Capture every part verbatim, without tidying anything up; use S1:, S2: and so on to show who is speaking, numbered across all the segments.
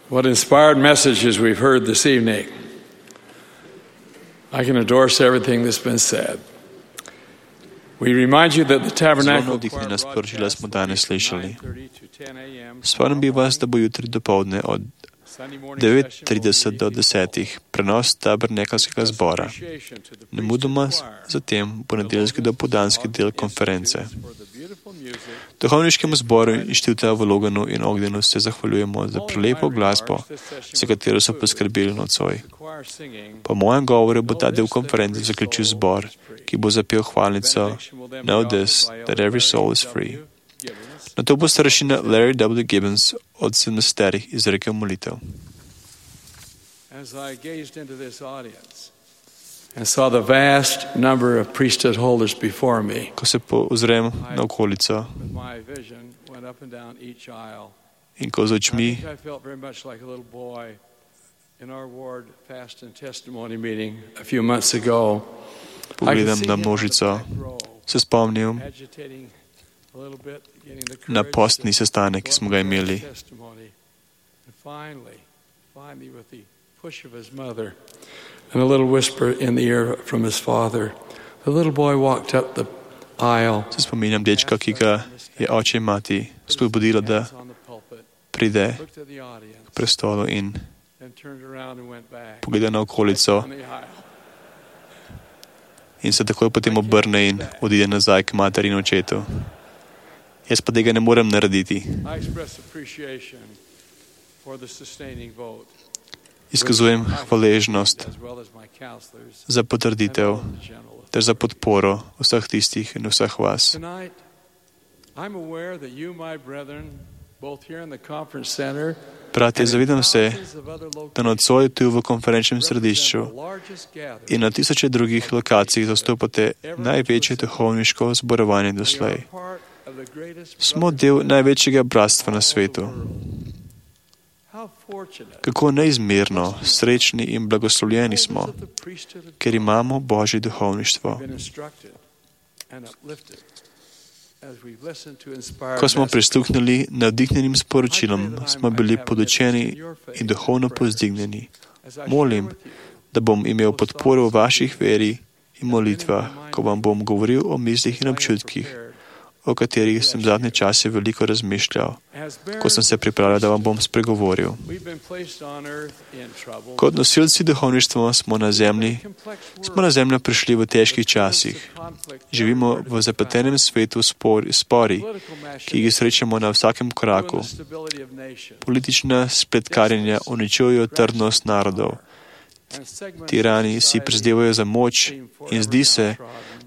S1: What inspired messages we've heard this evening. I can endorse everything that's been said. We remind you that the
S2: Zelo
S1: tabernacle
S2: navdihnjena sporočila smo danes slišali. Spomnim bi vas, da bo jutri dopoldne od devet trideset do desetih prenos tabernakelskega zbora. Nemudoma zatem bo nedeljski dopoldanski del konference. Duhovniškemu zboru Inštituta v Loganu in Ogdenu se zahvaljujemo za prelepo glasbo, za katero so poskrbeli nocoj. Po mojem govoru bo ta del konference zaključil zbor, ki bo zapel hvalnico Know this, that every soul is free. Nato bo starešina Larry W. Gibbons od sedemdesetih izrekel molitev.
S1: As I gazed into this audience and saw the vast number of priesthood holders before me,
S2: Ko se ozrem na okolico
S1: with my vision went up and down each aisle.
S2: in ko z
S1: I
S2: očmi
S1: think I felt very much like a little boy in our ward fast and testimony meeting a few months ago. I could
S2: pogledam
S1: see
S2: na
S1: him on the
S2: množico,
S1: back row,
S2: se spomnim
S1: agitating a little bit, getting the
S2: na
S1: courage
S2: postni
S1: to
S2: sestanek, ki smo ga imeli.
S1: testimony. And finally, finally with the push of his mother and a little whisper in the ear from his father, the little boy walked up the aisle,
S2: Se spominjam dečka, ki ga je oče in mati spodbudila, da
S1: hands on the pulpit,
S2: pride
S1: looked at the audience,
S2: k prestolu in
S1: and turned around and went back
S2: pogleda na okolico
S1: on the aisle.
S2: in se takoj potem obrne in odide nazaj k materi in očetu. Jaz pa tega ne morem narediti.
S1: I express appreciation for the sustaining vote,
S2: Izkazujem hvaležnost
S1: as well as my counselors
S2: za
S1: and
S2: potrditev
S1: all the general
S2: ter za podporo vseh tistih in vseh vas.
S1: Tonight, I'm aware that you, my brethren, both here in the conference center
S2: Bratje, zavedam se,
S1: thousands of other
S2: da nocoj tu v konferenčnem središču
S1: represent the largest gathering
S2: in na tisoče drugih lokacij zastopate največje duhovniško zborovanje doslej.
S1: part of the greatest
S2: Smo del največjega bratstva na svetu.
S1: How fortunate
S2: Kako neizmerno srečni in blagoslovljeni smo,
S1: of the priesthood of
S2: ker imamo Božje duhovništvo.
S1: been instructed and uplifted as we've listened to inspired
S2: Ko smo
S1: messages.
S2: prisluhnili navdihnjenim sporočilom, smo bili podučeni in duhovno povzdignjeni.
S1: As I share
S2: Molim,
S1: with you
S2: da bom imel podporo v vaših veri in molitvah, ko vam bom govoril o mislih in občutkih, o katerih sem zadnje čase veliko razmišljal,
S1: as
S2: ko sem se pripravljal, da vam bom spregovoril.
S1: we've been placed on earth in trouble.
S2: Kot nosilci duhovništva smo na zemlji, smo na zemljo prišli v težkih časih. Živimo v zapletenem svetu spori, spori, ki jih srečamo na vsakem koraku. Politična spletkarjenja uničujejo trdnost narodov. Tirani si prizadevajo za moč in zdi se,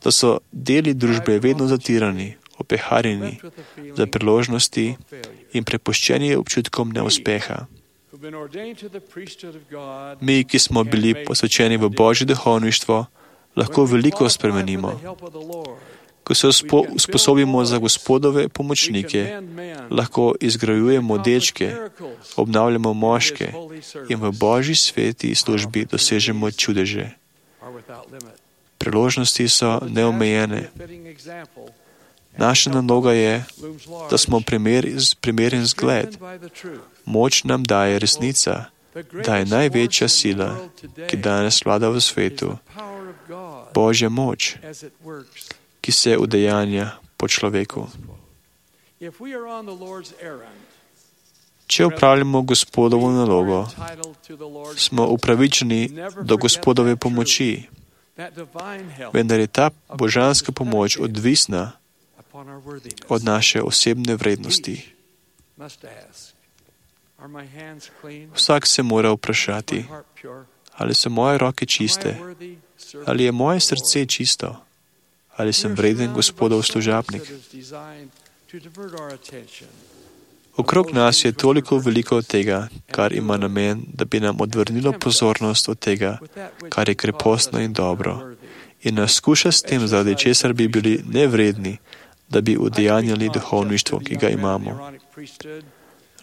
S2: da so deli družbe vedno zatirani, opeharjeni za priložnosti in prepuščeni občutkom neuspeha. Mi, ki smo bili posvečeni v Božje duhovništvo, lahko veliko spremenimo. Ko se uspo, usposobimo za Gospodove pomočnike, lahko izgrajujemo dečke, obnavljamo moške in v Božji sveti službi dosežemo čudeže. Priložnosti so neomejene. Naša naloga je, da smo primer, primeren zgled. Moč nam daje resnica, da je največja sila, ki danes vlada v svetu, Božja moč, ki se udejanja po človeku. Če upravljamo Gospodovo nalogo, smo upravičeni do Gospodove pomoči, vendar je ta božanska pomoč odvisna od naše osebne vrednosti. Vsak se mora vprašati, ali so moje roke čiste, ali je moje srce čisto, ali sem vreden Gospodov služabnik. Okrog nas je toliko veliko tega, kar ima namen, da bi nam odvrnilo pozornost od tega, kar je krepostno in dobro, in nas skuša s tem, zaradi česar bi bili nevredni, da bi udejanjali duhovništvo, ki ga imamo.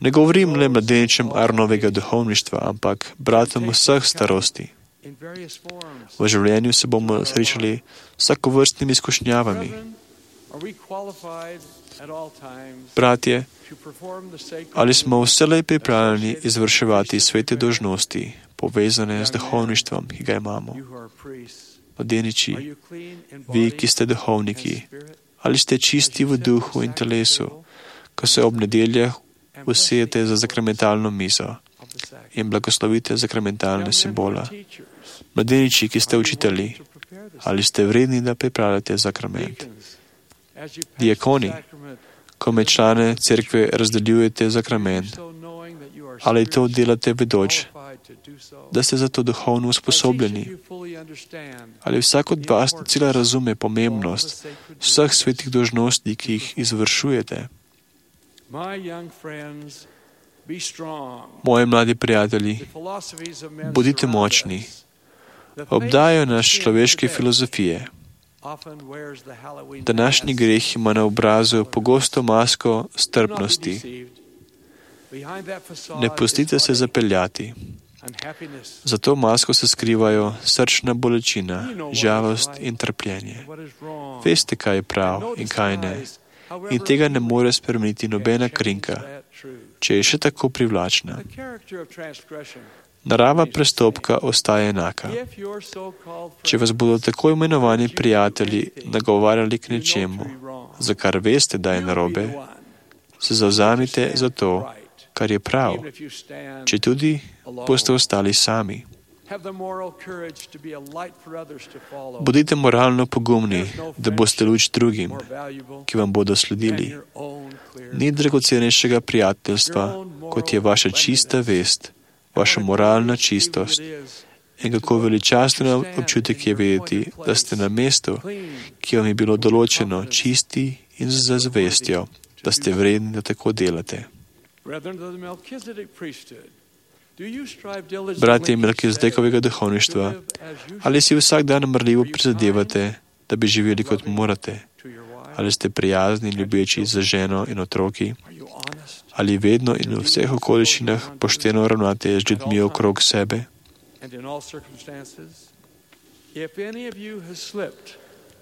S2: Ne govorim le mladeničem Aaronovega duhovništva, ampak bratom vseh starosti. V življenju se bomo srečali s vsakovrstnimi izkušnjavami. Bratje, ali smo vselej pripravljeni izvrševati svete dožnosti, povezane z duhovništvom, ki ga imamo? Mladeniči, vi, ki ste duhovniki, ali ste čisti v duhu in telesu, ko se ob nedeljah usedete za sakramentalno mizo in blagoslovite sakramentalne simbole? Mladeniči, ki ste učitelji, ali ste vredni, da pripravljate sakrament? Diakoni, ko med člane cerkve razdeljujete sakrament, ali to delate vedoč, da ste za to duhovno usposobljeni? Ali vsak od vas cela razume pomembnost vseh svetih dožnosti, ki jih izvršujete? Moji mladi prijatelji, bodite močni. Obdajajo nas človeške filozofije. Današnji greh ima na obrazu pogosto masko strpnosti. Ne pustite se zapeljati. Za to masko se skrivajo srčna bolečina, žalost in trpljenje. Veste, kaj je prav in kaj ne. In tega ne more spremeniti nobena krinka, če je še tako privlačna. Narava prestopka ostaje enaka. Če vas bodo tako imenovani prijatelji nagovarjali k nečemu, za kar veste, da je narobe, se zavzamite za to, kar je prav, če tudi boste ostali sami. Bodite moralno pogumni, da boste luč drugim, ki vam bodo sledili. Ni dragocenejšega prijateljstva, kot je vaša čista vest, vaša moralna čistost. In kako veličasten občutek je vedeti, da ste na mestu, ki vam je bilo določeno, čisti in z zavestjo, da ste vredni, da tako delate. Bratje Melkizedekovega duhovništva, ali si vsak dan mrljivo prizadevate, da bi živeli kot morate? Ali ste prijazni in ljubeči za ženo in otroki? Ali vedno in v vseh okoliščinah pošteno ravnate z ljudmi okrog sebe?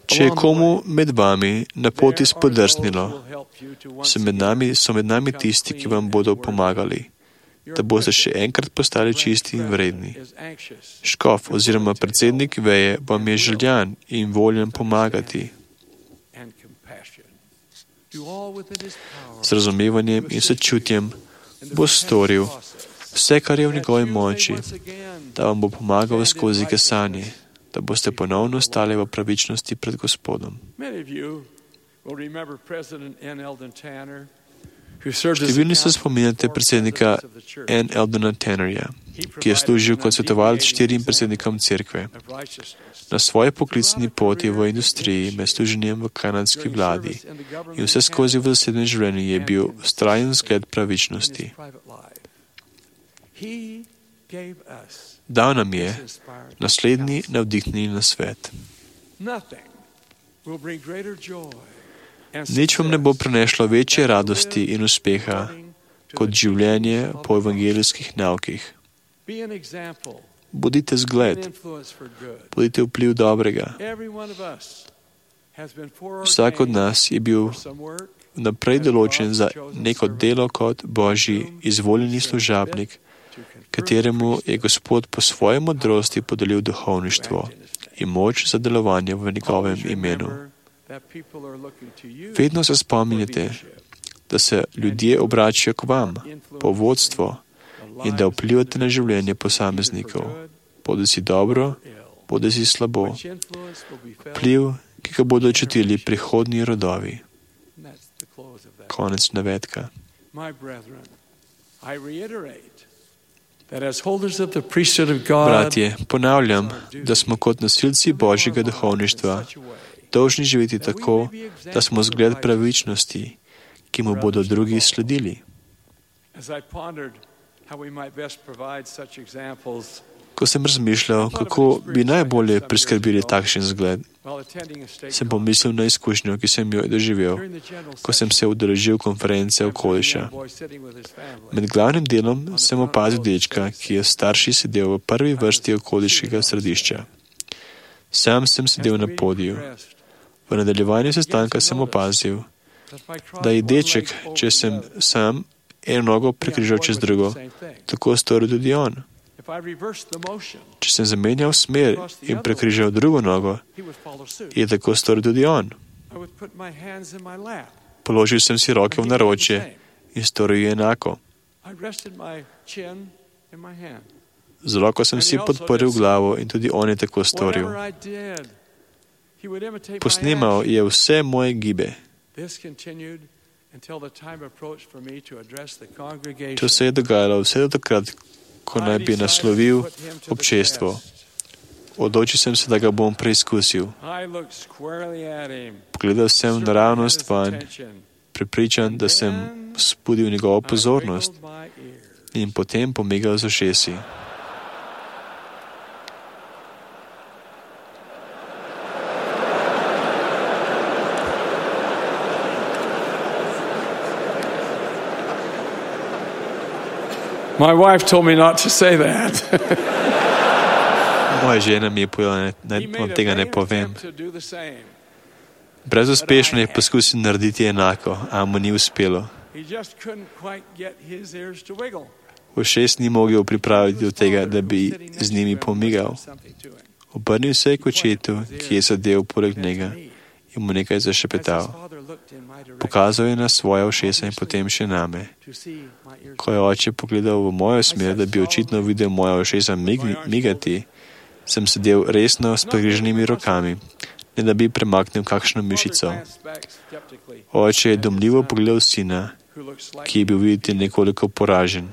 S2: Če je komu med vami na poti spodrsnilo, so med nami, so med nami tisti, ki vam bodo pomagali, da boste še enkrat postali čisti in vredni. Škof oziroma predsednik veje vam je željan in voljen pomagati. Z razumevanjem in sočutjem bo storil vse, kar je v njegovi moči, da vam bo pomagal skozi kesanje, da boste ponovno stali v pravičnosti pred Gospodom. Številni se spominjate predsednika N. Eldona Tannerja, ki je služil kot svetovalec štirim predsednikom cerkve. Na svoji poklicni poti v industriji med služenjem v kanadski vladi in vse skozi v zasebnem življenju je bil vztrajen zgled pravičnosti. Dal nam je naslednji navdihnjeni nasvet. Nič vam ne bo prinešlo večje radosti in uspeha kot življenje po evangelijskih naukih. Bodite zgled, bodite vpliv dobrega. Vsak od nas je bil naprej določen za neko delo kot Božji izvoljeni služabnik, kateremu je Gospod po svoji modrosti podelil duhovništvo in moč za delovanje v njegovem imenu. Vedno se spomnite, da se ljudje obračajo k vam po vodstvo in da vplivate na življenje posameznikov, bodisi dobro, bodisi slabo. Vpliv, ki ga bodo čutili prihodnji rodovi. Konec navedka. Bratje, ponavljam, da smo kot nosilci Božjega duhovništva dolžni živeti tako, da smo zgled pravičnosti, ki mu bodo drugi sledili. Ko sem razmišljal, kako bi najbolje priskrbili takšen zgled, sem pomislil na izkušnjo, ki sem jo doživel, ko sem se udeležil konference okoliša. Med glavnim delom sem opazil dečka, ki je starši sedel v prvi vrsti okoliškega središča. Sam sem sedel na podiju. V nadaljevanju sestanka sem opazil, da je deček, če sem sam eno nogo prekrižal čez drugo, tako storil tudi on. Če sem zamenjal smer in prekrižal drugo nogo, je tako storil tudi on. Položil sem si roke v naročje in storil je enako. Z roko sem si podprl glavo in tudi on je tako storil. Posnemal je vse moje gibe. To se je dogajalo vse do takrat, ko naj bi naslovil občestvo. Odločil sem se, da ga bom preizkusil. Pogledal sem naravnost vanj, prepričan, da sem vzbudil njegovo pozornost in potem pomigal z ušesi.
S1: My wife told me not to say that.
S2: Moja žena mi je povedala, da vam tega ne povem. Brezuspešno je poskusil narediti enako, a mu ni uspelo. Ušes ni mogel pripraviti do tega, da bi z njimi pomigal. Obrnil se je k očetu, ki je sedel poleg njega, in mu nekaj zašepetal. Pokazal je na svoja ušesa in potem še name. Ko je oče pogledal v mojo smer, da bi očitno videl moja ušesa migati, sem sedel resno s pregriženimi rokami, ne da bi premaknil kakšno mišico. Oče je domljivo pogledal sina, ki je bil videti nekoliko poražen.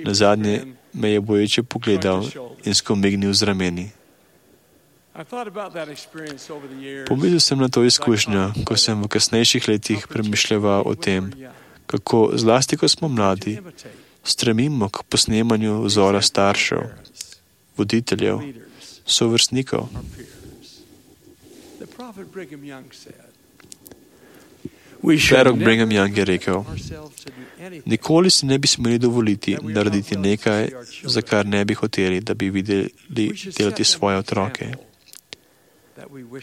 S2: Nazadnje me je boječe pogledal in skomignil z rameni. Pomislil sem na to izkušnjo, ko sem v kasnejših letih premišljal o tem, kako, zlasti ko smo mladi, stremimo k posnemanju vzora staršev, voditeljev, sovrstnikov. Prorok Brigham Young je rekel, nikoli si ne bi smeli dovoliti narediti nekaj, za kar ne bi hoteli, da bi videli delati svoje otroke.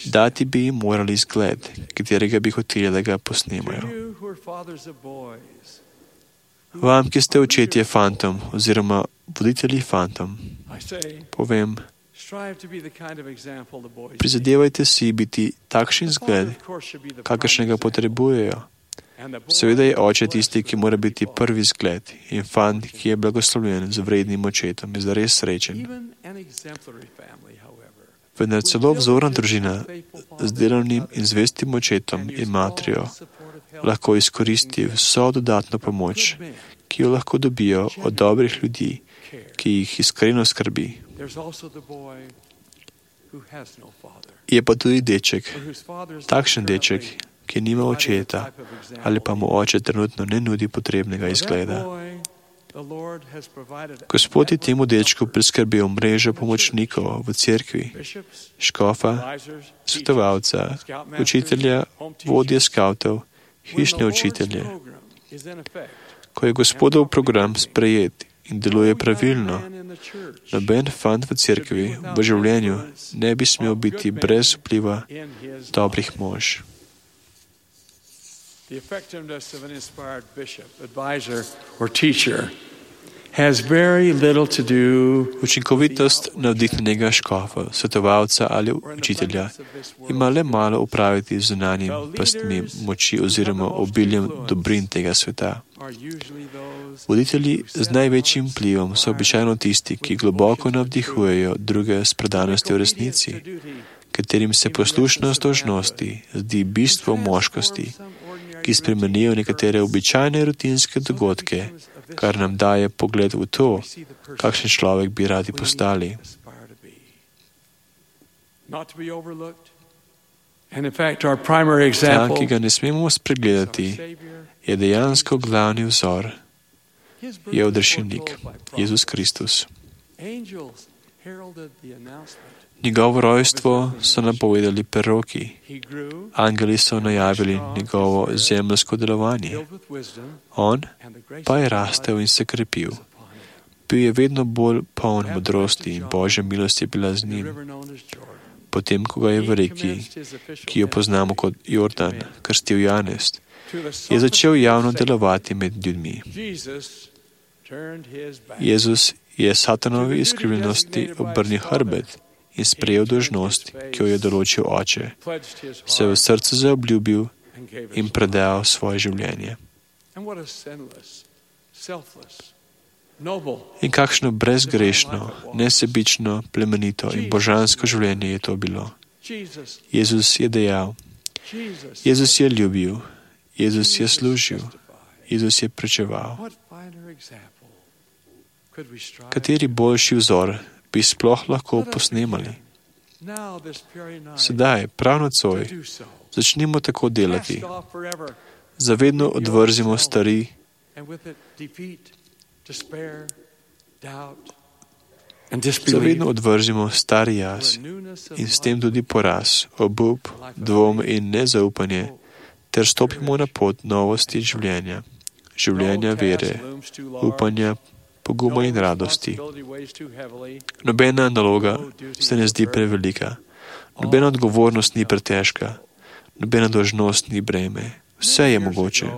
S2: Dati bi jim morali zgled, katerega bi hoteli, da ga posnemajo. Vam, ki ste očetje fantom oziroma voditelji fantom, povem, prizadevajte si biti takšen zgled, kakršnega potrebujejo. Seveda je oče tisti, ki mora biti prvi zgled, in fant, ki je blagoslovljen z vrednim očetom, je zares srečen. Vendar celo vzorna družina z delovnim in zvestim očetom in matrijo lahko izkoristi vso dodatno pomoč, ki jo lahko dobijo od dobrih ljudi, ki jih iskreno skrbi. Je pa tudi deček, takšen deček, ki nima očeta ali pa mu oče trenutno ne nudi potrebnega izgleda. Gospod je temu dečku priskrbel mrežo pomočnikov v cerkvi, škofa, svetovalca, učitelja, vodje skavtov, hišne učitelje. Ko je Gospodov program sprejet in deluje pravilno, noben fant v cerkvi v življenju ne bi smel biti brez vpliva dobrih mož.
S1: The effectiveness of an inspired bishop, advisor, or teacher has very little to do.
S2: Učinkovitost navdihnjenega škofa, svetovalca ali učitelja ima le malo upraviti z zunanjim pastmi moči oziroma obiljem dobrin tega sveta. Voditelji z največjim vplivom so običajno tisti, ki globoko navdihujejo druge s predanostjo v resnici, katerim se poslušnost dolžnosti zdi bistvo moškosti, ki spremenijo nekatere običajne rutinske dogodke, kar nam daje pogled v to, kakšen človek bi radi postali. Ta, ki ga ne smemo spregledati, je dejansko glavni vzor, je odrešilnik, Jezus Kristus. Njegovo rojstvo so napovedali preroki. Angeli so najavili njegovo zemeljsko delovanje. On pa je rastel in se krepil. Bil je vedno bolj poln modrosti in Božja milost je bila z njim. potem, ko ga je v reki, ki jo poznamo kot Jordan, krstil Janez, je začel javno delovati med ljudmi. Jezus je satanovi izkrivljenosti obrnil hrbet in sprejel dolžnost, ki jo je določil Oče, se v srcu zaobljubil in predal svoje življenje. In kakšno brezgrešno, nesebično, plemenito in božansko življenje je to bilo. Jezus je dejal, Jezus je ljubil, Jezus je služil, Jezus je pričeval. Kateri boljši vzor bi sploh lahko posnemali? Sedaj, prav nocoj, začnimo tako delati. Zavedno odvrzimo stari, zavedno odvrzimo stari jaz in s tem tudi poraz, obup, dvom in nezaupanje, ter stopimo na pot novosti življenja, življenja vere, upanja, poguma in radosti. Nobena naloga se ne zdi prevelika, nobena odgovornost ni pretežka, nobena dolžnost ni breme. Vse je mogoče.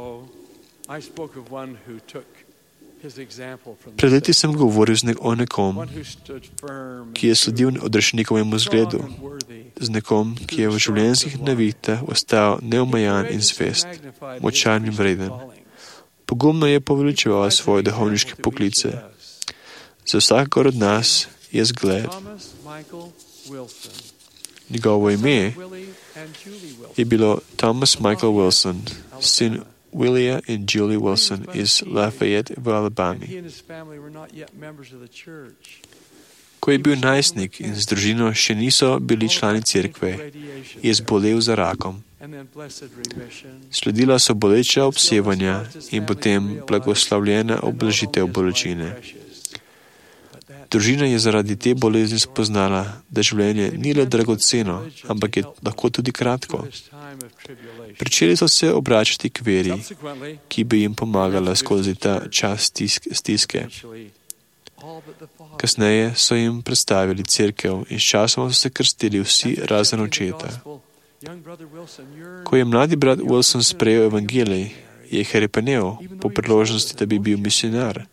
S2: Pred leti sem govoril o nekom, ki je sledil odrešnikovemu zgledu, z nekom, ki je v življenjskih naviktah ostal neomajan in zvest, močan in vreden. Pogumno je poveličeval svoje duhovniške poklice. Za vsakor od nas je zgled. Njegovo ime je bilo Thomas Michael Wilson, sin Willia in Julie Wilson iz Lafayette v Alabami. Ko je bil najstnik in z družino še niso bili člani cerkve, je zbolel za rakom. Sledila so boleča obsevanja in potem blagoslavljena oblažitev bolečine. Družina je zaradi te bolezni spoznala, da življenje ni le dragoceno, ampak je lahko tudi kratko. Pričeli so se obračati k veri, ki bi jim pomagala skozi ta čas stiske. Kasneje so jim predstavili cerkev in s časom so se krstili vsi razen očeta. Ko je mladi brat Wilson sprejel evangelij, je hrepenel po priložnosti, da bi bil misionar,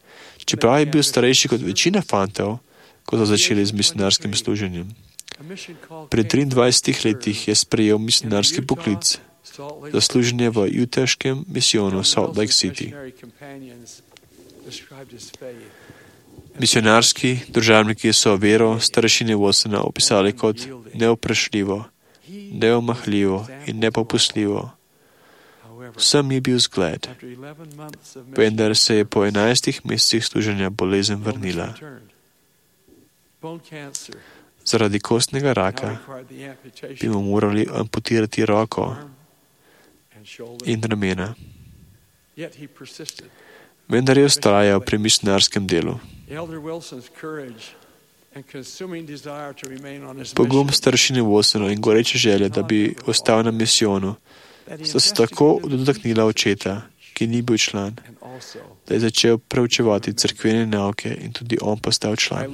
S2: čeprav je bil starejši kot večina fantov, ko so začeli z misionarskim služenjem. Pri triindvajsetih letih je sprejel misionarski poklic za služenje v utaškem misijonu Salt Lake City. Misionarski državniki so vero starešine Wilsona opisali kot neoprašljivo, neomahljivo in nepopustljivo. Vsem je bil zgled, vendar se je po enajstih mesecih služenja bolezen vrnila. Zaradi kostnega raka bi mu morali amputirati roko in ramena. Vendar je vztrajal pri misionarskem delu. Pogum staršine Wilsona in goreče želje, da bi ostal na misijonu, sta se tako dotaknila očeta, ki ni bil član, da je začel preučevati cerkvene nauke in tudi on postal član.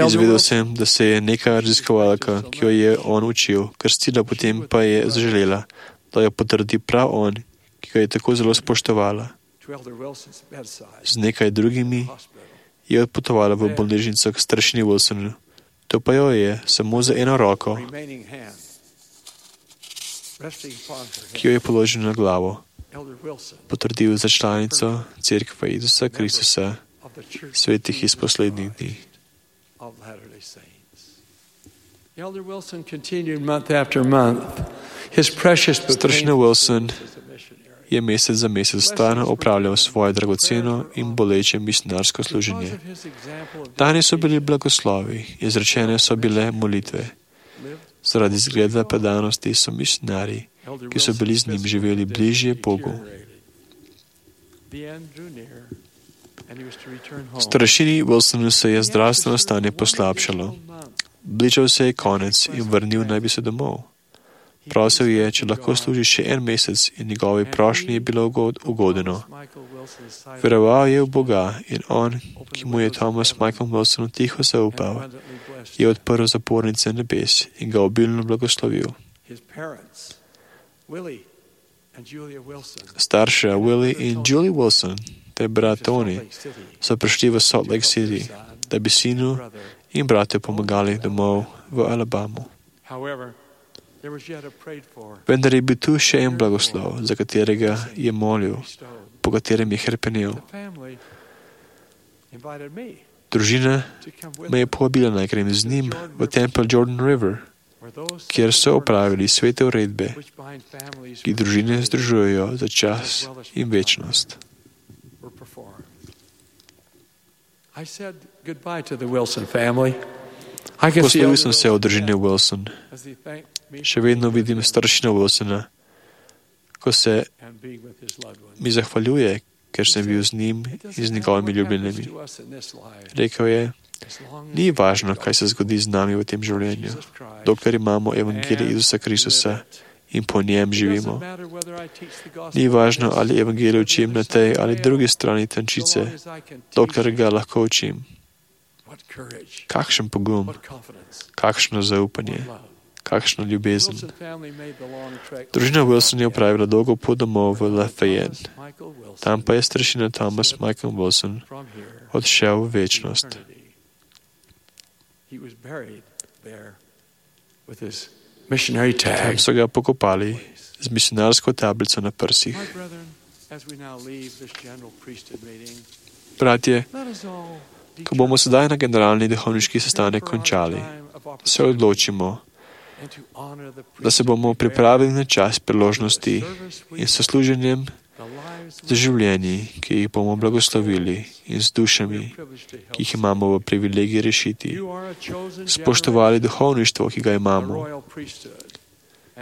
S2: Izvedel sem, da se je neka raziskovalka, ki jo je on učil, krstila, potem pa je zaželela, da jo potrdi prav on, ki ga je tako zelo spoštovala. Z nekaj drugimi je odpotovala v bolnišnico k staršini Wilsonu. To pa jo je samo za eno roko, ki jo je položil na glavo, potrdil za članico cerkve Jezusa Kristusa, svetih iz poslednjih dni. Staršina Wilson je mesec za mesec stalno opravljal svoje dragoceno in boleče misionarsko služenje. Dani so bili blagoslovi, izrečene so bile molitve. Zaradi zgleda predanosti so misionarji, ki so bili z njim, živeli bližje Bogu. Starešini Wilsonu se je zdravstveno stanje poslabšalo. Bližal se je konec in vrnil naj bi se domov. Prosil je, če lahko služi še en mesec in njegovi prošnji je bilo ugodeno. Veroval je v Boga in on, ki mu je Thomas Michael Wilson tiho zaupal, je odprl zapornice nebes in ga obilno blagoslovil. Starša Willie in Julie Wilson ter brat Tony so prišli v Salt Lake City, da bi sinu in bratu pomagali domov v Alabamu. Vendar je bil tu še en blagoslov, za katerega je molil, po katerem je hrepenel. Družina me je povabila, naj grem z njim v tempelj Jordan River, kjer so opravili svete uredbe, ki družine združujejo za čas in večnost. Poslovil sem se od družine Wilson. Še vedno vidim staršina Wilsona, ko se mi zahvaljuje, ker sem bil z njim in z njegovimi ljubljenimi. Rekel je, ni važno, kaj se zgodi z nami v tem življenju, dokler imamo evangelij Isusa Kristusa in po njem živimo. Ni važno, ali evangelij učim na tej ali drugi strani tančice, dokler ga lahko učim. Kakšen pogum, kakšno zaupanje, kakšna ljubezen. Družina Wilson je opravila dolgo pot domov v Lafayette. Tam pa je staršina Thomas Michael Wilson odšel v večnost. Tam so ga pokopali z misionarsko tablico na prsih. Bratje, ko bomo sedaj na generalni duhovniški sestanek končali, se odločimo, da se bomo pripravili na čas priložnosti in s služenjem za življenji, ki jih bomo blagoslovili, in z dušami, ki jih imamo v privilegiji rešiti, spoštovali duhovništvo, ki ga imamo.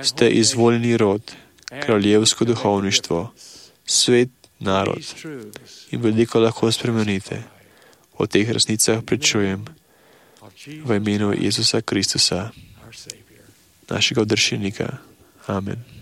S2: Ste izvoljeni rod, kraljevsko duhovništvo, svet narod in veliko lahko spremenite. O teh resnicah pričujem v imenu Jezusa Kristusa, našega odrešenika. Amen.